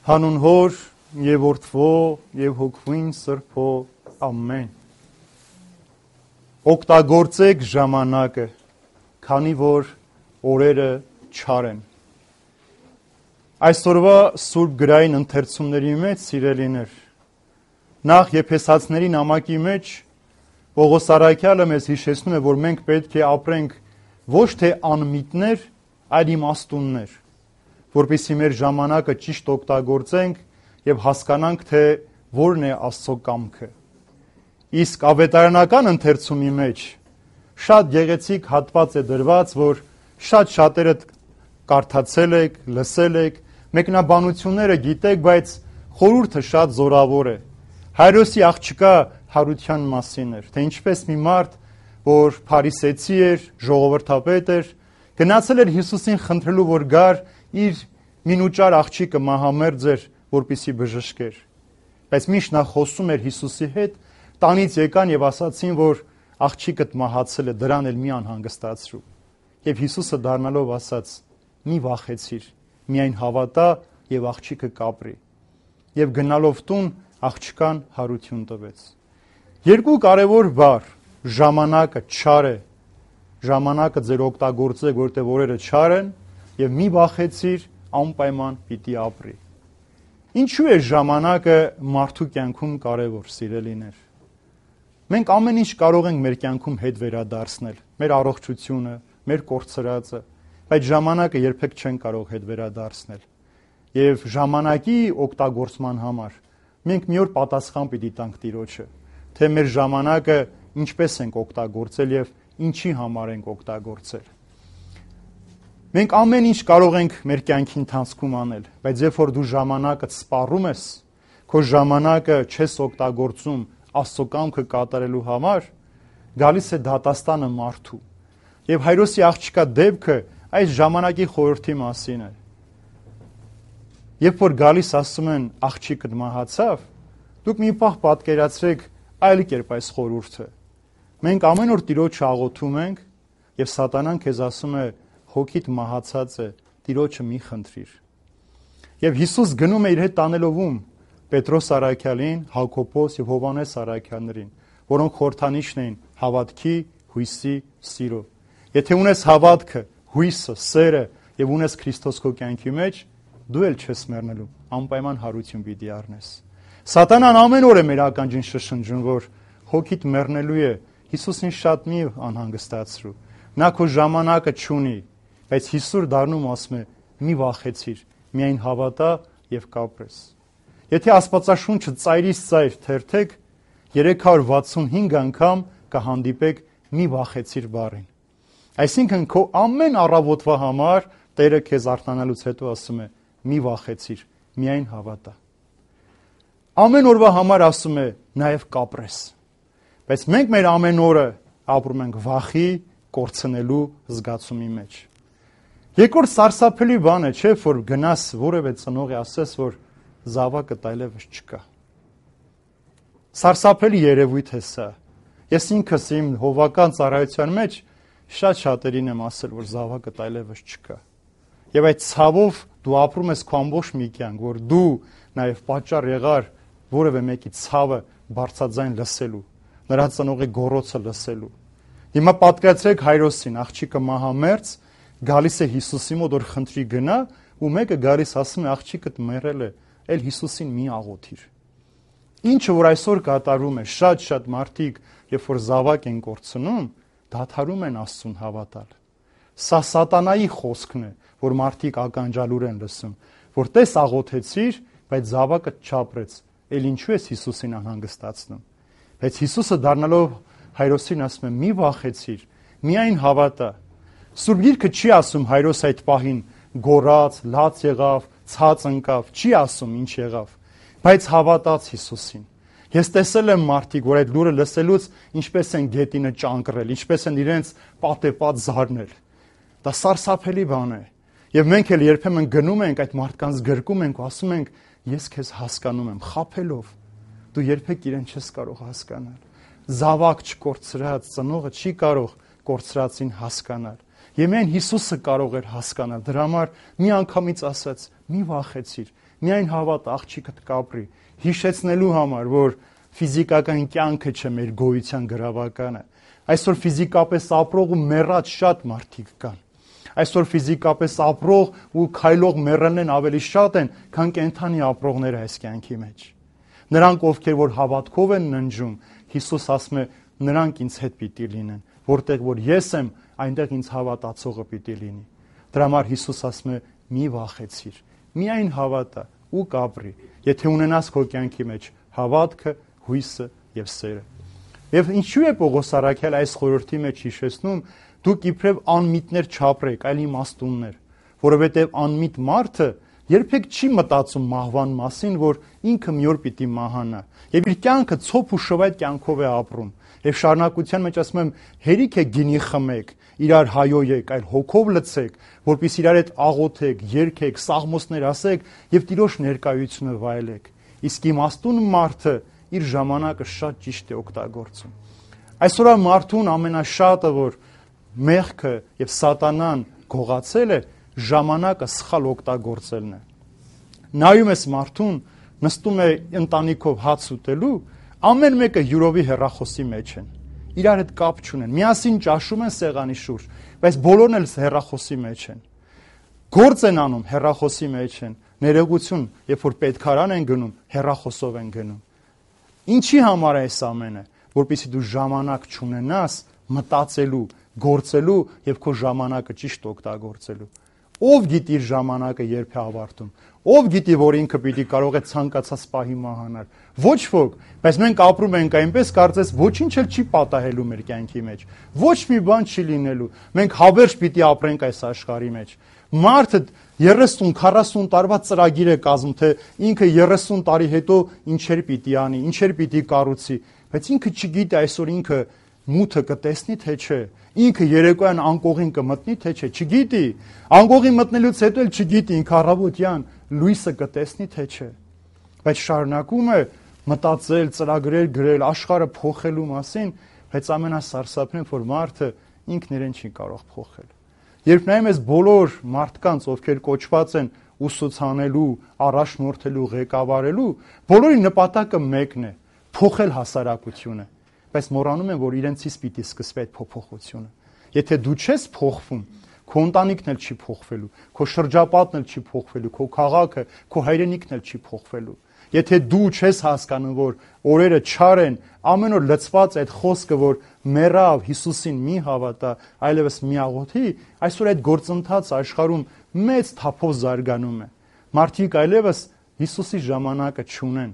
Հանուն Հոր եւ Որդվո եւ Հոգվին Սրբո ամեն։ Օգտագործեք ժամանակը, քանի որ օրերը չար են։ Այսօրվա Սուրբ գրային ընթերցումների մեջ, սիրելիներ, նախ Եփեսացիների նամակի մեջ Պողոս առաքյալը մեզ հիշեցնում է, որ մենք պետք է ապրենք ոչ թե անմիտներ, այլ իմաստուններ, որպեսզի մեր ժամանակը ճիշտ օգտագործենք եւ հասկանանք, թե որն է Աստծո կամքը։ Իսկ ավետարանական ընթերցումի մեջ շատ գեղեցիկ հատված է դրված, որ շատերը կարդացել եք, լսել եք, մեկնաբանությունները գիտեք, բայց խորհուրդը շատ զորավոր է։ Հայրոսի աղջկա հարության մասին էր, թե ինչպես մի մարդ, որ փարիսեցի էր, ժողովրդապետ էր, գնացել էր Հիսուսին խնդրելու, որ գար իր մինուճար աղջիկը մահամերձ էր, որպեսզի բժշկեր։ Բայց միշտ նա խոսում էր Հիսուսի հետ, տանից եկան եւ ասացին, որ աղջիկդ մահացել է, դրան էլ մի անհանգստացրու։ Եվ Հիսուսը դառնալով ասաց. մի վախեցիր, միայն հավատա եւ աղջիկը կապրի։ Եվ գնալով տուն աղջկան հարություն տվեց։ Երկու կարևոր բառ, ժամանակը չար է, ժամանակը ձեր օգտագործեք, որտեղ օրերը չար են, եւ մի վախեցիր, անպայման պիտի ապրի։ Ինչու է ժամանակը մարդու կյանքում կարևոր, սիրելիներ։ Մենք ամեն ինչ կարող ենք մեր կյանքում հետ վերադարձնել, մեր առողջությունը, մեր կորցրածը, բայց ժամանակը երբեք չեն կարող հետ վերադարձնել։ Եվ ժամանակի օգտագործման համար մենք մի օր պատասխան պիտի տանք Տիրոջը, թե մեր ժամանակը ինչպես ենք օգտագործել եւ ինչի համար ենք օգտագործել։ Մենք ամեն ինչ կարող ենք մեր կյանքի ընթացքում անել, բայց երբ որ դու ժամանակը սպառում ես, քո ժամանակը չես օգտագործում Աստծո կամքը կատարելու համար, գալիս է դատաստանը մարդու։ Եվ Հայրոսի աղջկա դեպքը այս ժամանակի խորհրդի մասին է։ Երբ որ գալիս ասում են աղջիկը մահացավ, դուք մի պահ պատկերացրեք այլ կերպ այս խորհուրդը։ Մենք ամեն օր Տիրոջը աղոթում ենք եւ սատանան քեզ ասում է հոգիդ մահացած է, Տիրոջը մի խնդրիր։ Եվ Հիսուս գնում է իր հետ տանելով ում Պետրոս առաքյալին, Հակոբոս եւ Հովանես առաքյալներին, որոնք խորհրդանիշն էին հավատքի, հույսի, սիրո։ Եթե ունես հավատքը, հույսը, սերը եւ ունես Քրիստոս քո կյանքի մեջ, դու էլ չես մեռնելու, անպայման հարություն պիտի առնես։ Սատանան ամեն օր է մեր ականջին շշնջում, որ հոգիդ մեռնելու է, Հիսուսին շատ մի անհանգստացրու։ Նա քո ժամանակը չունի, բայց Հիսուս դառնում ասում է՝ մի վախեցիր, միայն հավատա եւ կապրես։ Եթե Աստվածաշունչը ծայրից ծայր թերթեք, 365 անգամ կհանդիպեք մի վախեցիր բառին։ Այսինքն քո ամեն առավոտվա համար Տերը քեզ արթնանալուց հետո ասում է՝ մի վախեցիր, միայն հավատա։ Ամեն օրվա համար ասում է նաև կապրես։ Բայց մենք մեր ամեն օրը ապրում ենք վախի, կորցնելու զգացումի մեջ։ Երկրորդ սարսափելի բան է, չէ՞, որ գնաս որևէ ծնողի ասես, որ զավակը այլևս չկա։ Սարսափելի երևույթ է սա։ Ես ինքս իմ հովական ծառայության մեջ շատերին եմ ասել, որ զավակը այլևս չկա։ Եվ այդ ցավով դու ապրում ես քո ամբողջ մի կյանք, որ դու նաև պատճառ եղար որևէ մեկի ցավը բարձրաձայն լսելու, նրա ծնողի գոռոցը լսելու։ Հիմա պատկերացրեք Հայրոսին, աղջիկը մահամերձ, գալիս է Հիսուսի մոտ, որ խնդրի գնա, ու մեկը գալիս ասում է աղջիկդ մեռել է, էլ Հիսուսին մի աղոթիր։ Ինչը որ այսօր կատարում է, շատ մարդիկ, երբ որ զավակ են կորցնում, դադարում են Աստծուն հավատալ։ Սա սատանայի խոսքն է, որ մարդիկ ականջալուր են լսում, որ տես աղոթեցիր, բայց զավակը չապրեց, էլ ինչու ես Հիսուսին անհանգստացնում։ Բայց Հիսուսը դառնալով Հայրոսին ասում է՝ մի վախեցիր, միայն հավատա։ Սուրբ Գիրքը չի ասում Հայրոս այդ պահին գոռաց, լաց եղավ, ցած ընկավ, չի ասում ինչ եղավ, բայց հավատաց Հիսուսին։ Ես տեսել եմ մարդիկ, որ այդ լուրը լսելուց ինչպես են գետինը ճանկռել, ինչպես են իրենց պատեպած զարնել։ Դա սարսափելի բան է։ Եվ մենք էլ երբեմն գնում ենք այդ մարդկանց գրկում ենք ու ասում ենք ես քեզ հասկանում եմ, խաբելով։ Դու երբեք իրեն չես կարող հասկանալ։ Զավակ չկորցրած ծնողը չի կարող կորցրածին հասկանալ։ Եվ միայն Հիսուսը կարող էր հասկանալ։ Դրա համար մի անգամից ասաց՝ մի վախեցիր, միայն հավատ աղջիկդ կապրի, հիշեցնելու համար, որ ֆիզիկական կյանքը չէ մեր գոյության գրավականը։ Այսօր ֆիզիկապես ապրող ու մեռած շատ մարդիկ կան։ Այսօր ֆիզիկապես ապրող ու քայլող մեռելն ավելի շատ են, քան կենդանի ապրողները այս կյանքի մեջ։ Նրանք, ովքեր որ հավատքով են ննջում, Հիսուս ասում է, նրանք ինձ հետ պիտի լինեն, որտեղ որ ես եմ, այնտեղ ինձ հավատացողը պիտի լինի։ Դրա համար Հիսուս ասում է՝ մի վախեցիր, միայն հավատա ու կապրի, եթե ունենաս քո կյանքի մեջ հավատքը, հույսը եւ սերը։ Եվ ինչու է Պողոս առաքյալ այս խորհրդի մեջ հիշեցնում, դուք իբրև անմիտներ չապրեք, այլ իմաստուններ, որովհետեւ անմիտ մարդը երբեք չի մտածում մահվան մասին, որ ինքը մի օր պիտի մահանա, եւ իր կյանքը ցոփ ու շվայտ կյանքով է ապրում։ Եվ շարունակության մեջ ասում եմ, հերիք է գինի խմեք, իրար հայոյեք, այլ հոգով լցեք, որpիսի իրար հետ աղոթեք, երգեք, սաղմոսներ ասեք եւ Տիրոջ ներկայությունը վայելեք։ Իսկ իմաստուն մարդը իր ժամանակը շատ ճիշտ է օգտագործում։ Այսօր մարդուն ամենաշատը, որ մեղքը եւ սատանան գողացել է, ժամանակը սխալ օգտագործելն է։ Նայում ես մարդուն, նստում է ընտանիքով հաց ուտելու, ամեն մեկը յուրովի հեռախոսի մեջ են։ Իրար հետ կապ չունեն։ Միասին ճաշում են սեղանի շուրջ, բայց բոլորն էլ հեռախոսի մեջ են։ Գործ են անում, հեռախոսի մեջ են։ Ներողություն, երբ որ պետքարան են գնում, հեռախոսով են գնում։ Ինչի համար է այս ամենը, որպեսզի դու ժամանակ չունենաս մտածելու, գործելու եւ քո ժամանակը ճիշտ օգտագործելու։ Ով գիտի իր ժամանակը երբ է ավարտում։ Ով գիտի, որ ինքը պիտի կարող է ցանկացած պահի մահանալ։ Ոչ ոք, բայց մենք ապրում ենք այնպես, կարծես ոչինչ էլ չի պատահելու մեր կյանքի մեջ։ Ոչ մի բան չի լինելու։ Մենք հավերժ պիտի ապրենք այս աշխարհի մեջ։ Մարդը 30-40 տարվա ծրագիր է կազմում, թե ինքը 30 տարի հետո ինչեր պիտի անի, ինչեր պիտի կառուցի, բայց ինքը չգիտի այսօր ինքը մութը կտեսնի թե չէ, ինքը երեկոյան անկողին կմտնի թե չէ, չգիտի։ Անկողին մտնելուց հետո էլ չգիտի ինքը առավոտյան լույսը կտեսնի թե չէ։ Բայց շարունակում է մտածել, ծրագրեր գրել, աշխարհը փոխելու մասին, բայց ամենասարսափն է, որ մարդը ինքն իրեն չի կարող փոխել։ Երբ նայում ես բոլոր մարդկանց, ովքեր կոչված են ուսուցանելու, առաջնորդելու, ղեկավարելու, բոլորի նպատակը մեկն է՝ փոխել հասարակությունը, բայց մոռանում են, որ իրենցից պիտի սկսվի այդ փոփոխությունը։ Եթե դու չես փոխվում, քո ընտանիքն էլ չի փոխվելու, քո շրջապատն էլ չի փոխվելու, քո քաղաքը, քո հայրենիքն էլ չի փոխվելու։ Եթե դու չես հասկանում, որ օրերը չար են, ամեն օր լցված այդ խոսքը, որ մեռավ, Հիսուսին մի հավատա, այլևս մի աղոթի, այսօր այդ գործընթացը աշխարհում մեծ թափով զարգանում է։ Մարդիկ այլևս Հիսուսի ժամանակը չունեն,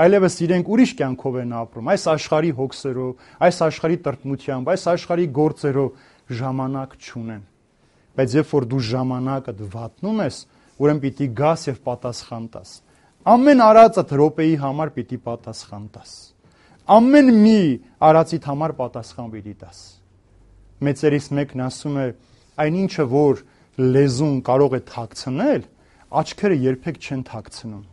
այլևս իրենք ուրիշ կյանքով են ապրում, այս աշխարհի հոգսերով, այս աշխարհի տրտմությամբ, այս աշխարհի գործերով ժամանակ չունեն։ Բայց երբ որ դու ժամանակը վատնում ես, ուրեմն պիտի գաս եւ պատասխան տաս։ Ամեն արածդ րոպեի համար պիտի պատասխան տաս։ Ամեն մի արածիդ համար պատասխան պիտի տաս։ Մեծերից մեկն ասում է, այնինչը որ լեզուն կարող է թաքցնել, աչքերը երբեք չեն թաքցնում։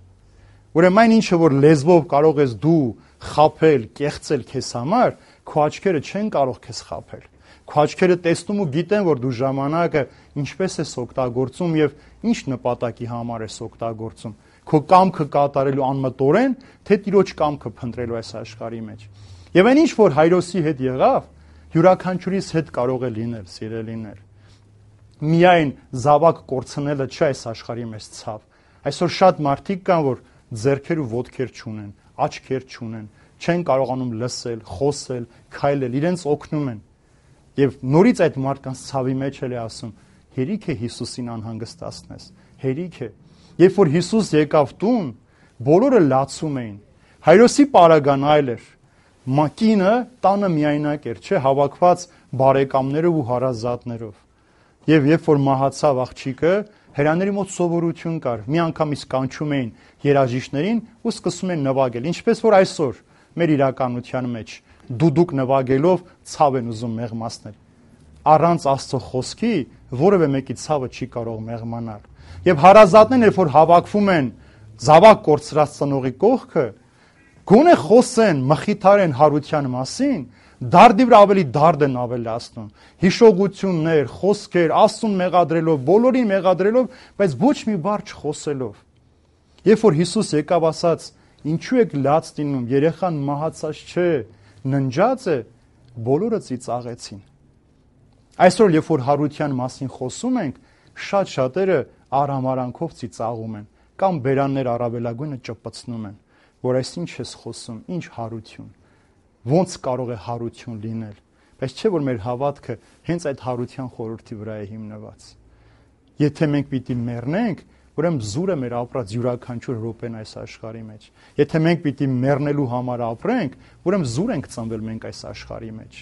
Ուրեմն այն ինչը որ լեզվով կարող ես դու խաբել, կեղծել քեզ համար, քո աչքերը չեն կարող քեզ խաբել։ Քո աչքերը տեսնում ու գիտեն, որ դու ժամանակը ինչպես ես օգտագործում եւ ինչ նպատակի համար ես օգտագործում։ Քո կամքը կատարելու անմտորեն, թե Տիրոջ կամքը փնտրելու այս աշխարհի մեջ։ Եվ այն ինչ որ Հայրոսի հետ եղավ, յուրաքանչյուրիս հետ կարող է լինել, սիրելիներ։ Միայն զավակ կորցնելը չէ այս աշխարհի մեջ ցավ։ Այսօր շատ մարդիկ կան, որ ձեռքեր ու ոտքեր չունեն, աչքեր չունեն, չեն կարողանում լսել, խոսել, քայլել, իրենց օգնում են։ Եվ նորից այդ մարդկանց ցավի մեջ էլ է ասում, հերիք է Հիսուսին անհանգստացնես, հերիք է։ Երբ որ Հիսուս եկավ տուն, բոլորը լացում էին։ Հայրոսի պարագան այլ էր։ Մակինը տանը միայնակ էր, չէ, հավաքված բարեկամներով ու հարազատներով։ Եվ երբ որ մահացավ աղջիկը, հերաների մոտ սովորություն կար։ Մի անգամից կանչում էին երաժիշտներին ու սկսում են նվագել, ինչպես որ այսօր մեր իրականության մեջ դուդուկ նվագելով ցավ են ուզում մեղմացնել։ Առանց Աստծո խոսքի որևէ մեկի ցավը չի կարող մեղմանալ։ Եվ հարազատներն երբ որ հավաքվում են զավակ կորցրած ծնողի կողքը, գոնե խոսեն, մխիթարեն հարության մասին, դարդի վրա ավելի դարդ են ավելացնում, հիշողություններ, խոսքեր, Աստծուն մեղադրելով, բոլորին մեղադրելով, բայց ոչ մի բառ չխոսելով։ Երբ որ Հիսուս եկավ, ասաց. ինչու եք լաց լինում, երեխան մահացած չէ, ննջած է, բոլորը ծիծաղեցին։ Այսօր, երբ որ հարության մասին խոսում ենք, շատ շատերը արհամարանքով ծիծաղում են, կամ բերաններ առավելագույնը ճպցնում են, որ այս ինչ ես խոսում, ինչ հարություն, ոնց կարող է հարություն լինել, բայց չէ որ մեր հավատքը հենց այդ հարության խորհրդի վրա է հիմնված։ Եթե մենք պիտի մեռնենք, ուրեմն զուրը մեր ապրած յուրաքանչյուր րոպեն այս աշխարհի մեջ։ Եթե մենք պիտի մեռնելու համար ապրենք, ուրեմն զուր ենք ծնվել մենք այս աշխարհի մեջ։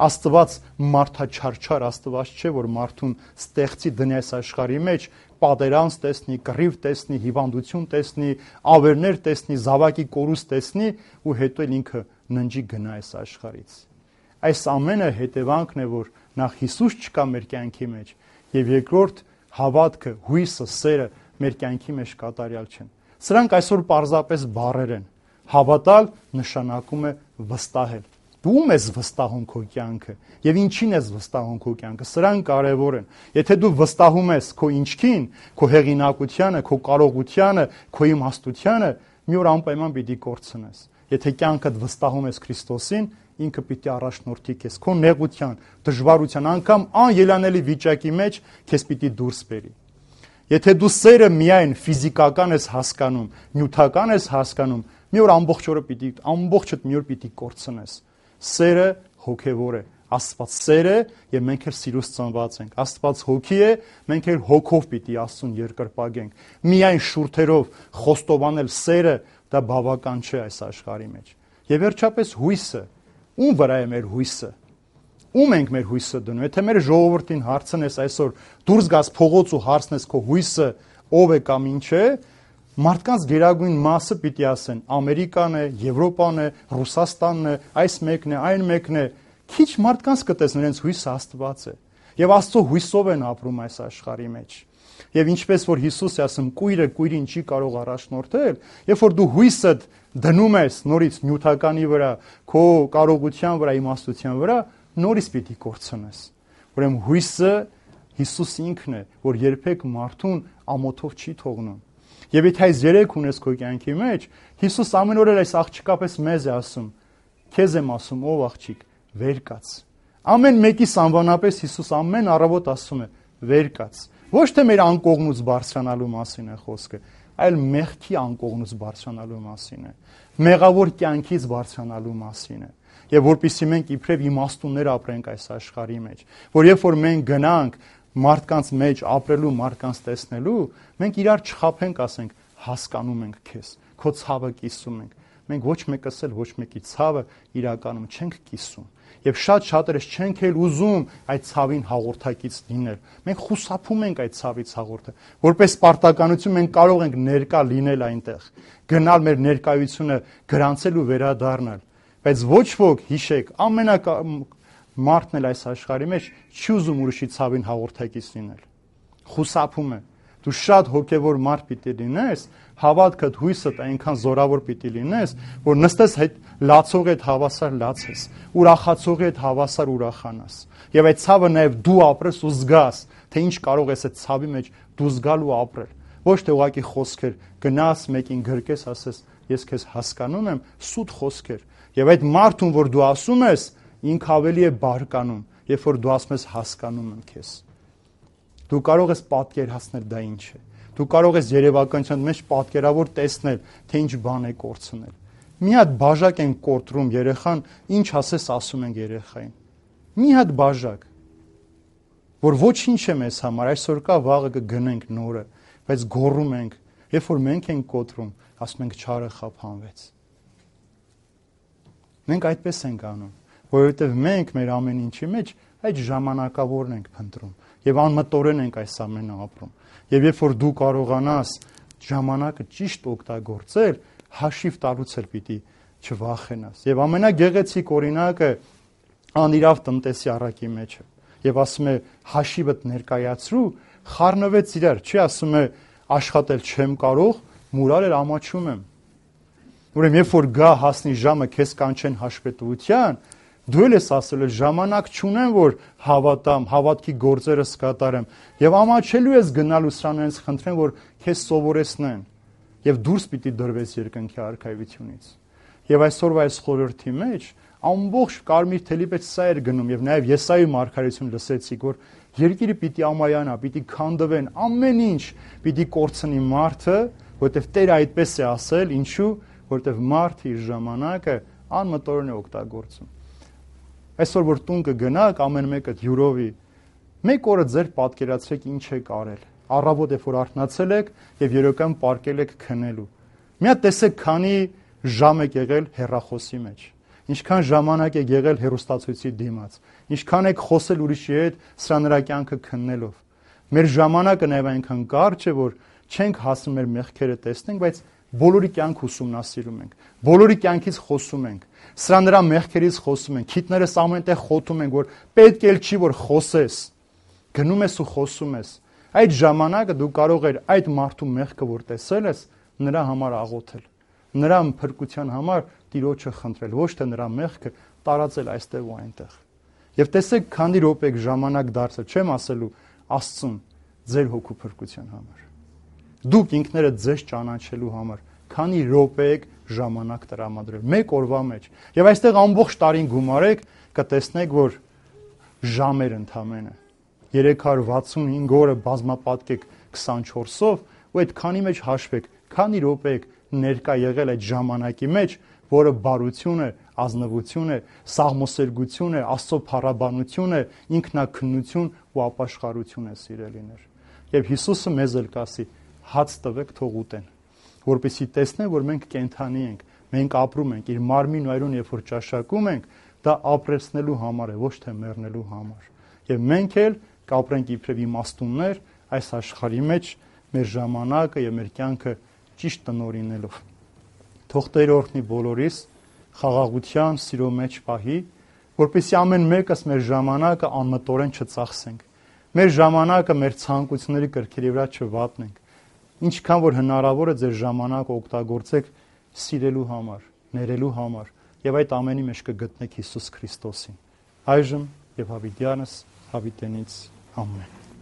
Աստված մարդաչարչար Աստված չէ, որ մարդուն ստեղծի դնի այս աշխարհի մեջ, պատերանց տեսնի, կռիվ տեսնի, հիվանդություն տեսնի, ավերներ տեսնի, զավակի կորուստ տեսնի ու հետո ինքը ննջի գնա այս աշխարհից։ Այս ամենը հետևանքն է, որ նախ Հիսուս չկա մեր կյանքի մեջ, եւ երկրորդ հավատքը, հույսը, սերը մեր կյանքի մեջ կատարյալ չեն։ Սրանք այսօր պարզապես բառեր են։ Հավատալ նշանակում է վստահել։ Դու ում ես վստահում քո կյանքը եւ ինչին ես վստահում քո կյանքը, սրանք կարեւոր են։ Եթե դու վստահում ես քո ինչքին, քո հեղինակությանը, քո կարողությանը, քո իմաստությանը, մի օր անպայման պիտի կորցնես։ Եթե կյանքդ վստահում ես Քրիստոսին, ինքը պիտի առաջնորդի քեզ քո նեղության, դժվարության, անգամ անելանելի վիճակի մեջ քեզ պիտի դուրս բերի։ Եթե դու սերը միայն ֆիզիկական ես հասկանում, նյութական ես հասկանում, մի օր ամբողջդ մի օր պիտի կորցնես։ Սերը հոգևոր է, Աստված սեր է եւ մենք էլ սիրուց ծնված ենք։ Աստված հոգի է, մենք էլ հոգով պիտի Աստծուն երկրպագենք։ Միայն շուրթերով խոստովանել սերը դա բավական չէ այս աշխարհի մեջ։ Եվ վերջապես հույսը, ում վրա է մեր հույսը։ Ում ենք մեր հույսը դնում։ Եթե մեր ժողովրդին հարցնես այսօր, դուրս գաս փողոց ու հարցնես քո հույսը ով է կամ ինչ է, մարդկանց գերագույն մասը պիտի ասեն Ամերիկան է, Եվրոպան է, Ռուսաստանն է, այս մեկն է, այն մեկն է։ Քիչ մարդկանց կտեսնեն իրենց հույսը Աստված է։ Եվ Աստծո հույսով են ապրում այս աշխարհի մեջ։ Եվ ինչպես որ Հիսուս է ասում, կույրը կույրին չի կարող առաջնորդել, երբ որ դու հույսդ դնում ես նորից նյութականի վրա, քո կարողության վրա, իմաստության վրա, նորից պիտի կորցնես։ Ուրեմն հույսը Հիսուս ինքն է, որ երբեք մարդուն ամոթով չի թողնում։ Եվ եթե այս երեք ունես քո կյանքի մեջ, Հիսուս ամեն օր այս աղջիկապես մեզ է ասում. քեզ եմ ասում, ով աղջիկ, վեր կաց։ Ամեն մեկիս անվանապես Հիսուս ամեն առավոտ ասում է. վեր կաց։ Ոչ թե մեր անկողնուց բարձրանալու մասին է խոսքը, այլ մեղքի անկողնուց բարձրանալու մասին է։ Մեղավոր կյանքից բարձրանալու մասին է։ Եվ որպեսզի մենք իբրև իմաստուններ ապրենք այս աշխարհի մեջ, որ երբ որ մենք գնանք մարդկանց մեջ ապրելու, մարդկանց տեսնելու, մենք իրար չխաբենք, ասենք, հասկանում ենք քեզ, քո ցավը կիսում ենք։ Մենք ոչ մեկս էլ ոչ մեկի ցավը իրականում չենք կիսում։ Եվ շատ շատերս չենք էլ ուզում այդ ցավին հաղորդակից լինել։ Մենք խուսափում ենք այդ ցավից հաղորդը, որպես պարտականություն մենք կարող ենք ներկա լինել այնտեղ, գնալ մեր ներկայությունը գրանցել ու վերադառնալ։ Բայց ոչ ոք, հիշեք, մարդն էլ այս աշխարհի մեջ չի ուզում ուրիշի ցավին հաղորդակից լինել։ Խուսափում է։ Դու շատ հոգևոր մարդ պիտի լինես, հավատքդ, հույսդ այնքան զորավոր պիտի լինես, որ նստես հետ լացողի հետ հավասար լացես, ուրախացողի հետ հավասար ուրախանաս։ Եվ այդ ցավը նաև դու ապրես ու զգաս, թե ինչ կարող ես այդ ցավի մեջ դու զգալ ու ապրել։ Ոչ թե ուղղակի խոսքեր, գնաս մեկին գրկես, ասես, ես քեզ հասկանում եմ, սուտ խոսքեր։ Եվ այդ մարդուն, որ դու ասում ես, ինքը ավելի է բարկանում, երբ որ դու ասում ես հասկանում եմ քեզ։ Դու կարող ես պատկերացնել դա ինչ է։ Դու կարող ես երևակայության մեջ պատկերավոր տեսնել, թե ինչ բան է կորցնել։ Մի հատ բաժակ են կորտրում երեխան, ինչ ասես ասում են երեխային։ Մի հատ բաժակ, որ ոչինչ է մեզ համար, այսօր կա, վաղը կգնենք նորը, բայց գոռում ենք, երբ որ մենք ենք կոտրում, ասում ենք չարը խափանվեց։ Մենք այդպես ենք անում, որովհետև մենք մեր ամեն ինչի մեջ այդ ժամանակավորն ենք փնտրում եւ անմտորեն ենք այս ամենը ապրում։ Եվ երբ որ դու կարողանաս ժամանակը ճիշտ օգտագործել, հաշիվ տալուց էլ պիտի չվախենաս։ Եվ ամենագեղեցիկ օրինակը անիրավ տնտեսի առակի մեջ է։ Եվ ասում է հաշիվդ ներկայացրու, խառնվեց իրար, չի ասում է աշխատել չեմ կարող, մուրալ էլ ամաչում եմ։ Ուրեմն երբ որ գա հասնի ժամը քեզ կանչեն հաշվետվության, Դու ես ասել ես ժամանակ չունեմ, որ հավատամ, հավատքի գործերը սկատարեմ, եւ ամաչելու ես գնալու սրանից խնդրեմ, որ քեզ սովորեցնեն, եւ դուրս պիտի դրվես երկնքի արքայությունից։ Եվ այսօրվա այս խորհրդի մեջ ամբողջ կարմիր թելի մեջ սա էր գնում, եւ նաեւ Եսայի մարգարեություն լսեցիք, որ երկիրը պիտի ամայանա, պիտի քանդվեն, ամեն ինչ պիտի կորցնի մարդը, որտեվ Տերը այդպես է ասել, ինչու, որտեվ մարդը իր ժամանակը անմտորեն է օգտագործում։ Այսօր որ տուն կգնաք, ամեն մեկը յուրովի, մեկ օրը ձեր պատկերացրեք ինչ եք արել։ Առավոտ է որ արթնացել եք եւ երեկոյան պարկել եք քնելու։ Մի հատ տեսեք քանի ժամ եք եղել հեռախոսի մեջ։ Ինչքան ժամանակ եք եղել հեռուստացույցի դիմաց։ Ինչքան եք խոսել ուրիշի հետ սրա նրա կյանքը քննելով։ Մեր ժամանակը նաեւ այնքան կարճ է, որ չենք հասնում մեր մեղքերը տեսնենք, բայց բոլորի կյանք ուսումնասիրում ենք։ Բոլորի կյանքից խոսում ենք։ Սրա նրա մեղքերից խոսում ենք։ Քիթներս ամենտեղ խոթում ենք, որ պետք էլ չի որ խոսես։ Գնում ես ու խոսում ես։ Այդ ժամանակը դու կարող ես այդ մարդու մեղքը որ տեսել ես, նրա համար աղոթել։ Նրա փրկության համար Տիրոջը խնդրել, ոչ թե նրա մեղքը տարածել այստեղ ու այնտեղ։ Եվ տեսեք, քանի րոպե ժամանակ դարձել, չեմ ասելու Աստծուն ձեր հոգու փրկության համար։ Դուք ինքներդ ձեզ ճանաչելու համար քանի րոպե եք ժամանակ տրամադրել մեկ օրվա մեջ։ Եվ այստեղ ամբողջ տարին գումարեք, կտեսնեք, որ ժամեր ընդամենը 365 օրը բազմապատկեք 24-ով, ու այդ քանի մեջ հաշվեք, քանի րոպե եք ներկա եղել այդ ժամանակի մեջ, որը բարություն է, ազնվություն է, սաղմոսերգություն է, Աստծո փառաբանություն է, ինքնակնություն ու ապաշխարություն է, սիրելիներ։ Եվ Հիսուսը մեզ էլ կասի. հաց տվեք, թող ուտեն, որպեսզի տեսնեն, որ մենք կենդանի ենք, մենք ապրում ենք, իր մարմին ու այրուն երբ որ ճաշակում ենք, դա ապրեցնելու համար է, ոչ թե մեռնելու համար։ Եվ մենք էլ կապրենք իբրև իմաստուններ այս աշխարհի մեջ մեր ժամանակը եւ մեր կյանքը ճիշտ տնօրինելով։ Թող Տերը օրհնի բոլորիս, խաղաղության, սիրո մեջ պահի, որպեսզի ամեն մեկս մեր ժամանակը անմտորեն չծախսենք։ Մեր ժամանակը մեր ցանկությունների կրքերի վրա չվատնենք։ Ինչքան որ հնարավոր է ձեր ժամանակը օգտագործեք սիրելու համար, ներելու համար, եւ այդ ամենի մեջ կգտնեք Հիսուս Քրիստոսին։ Այժմ եւ հավիտյանս հավիտենից ամեն։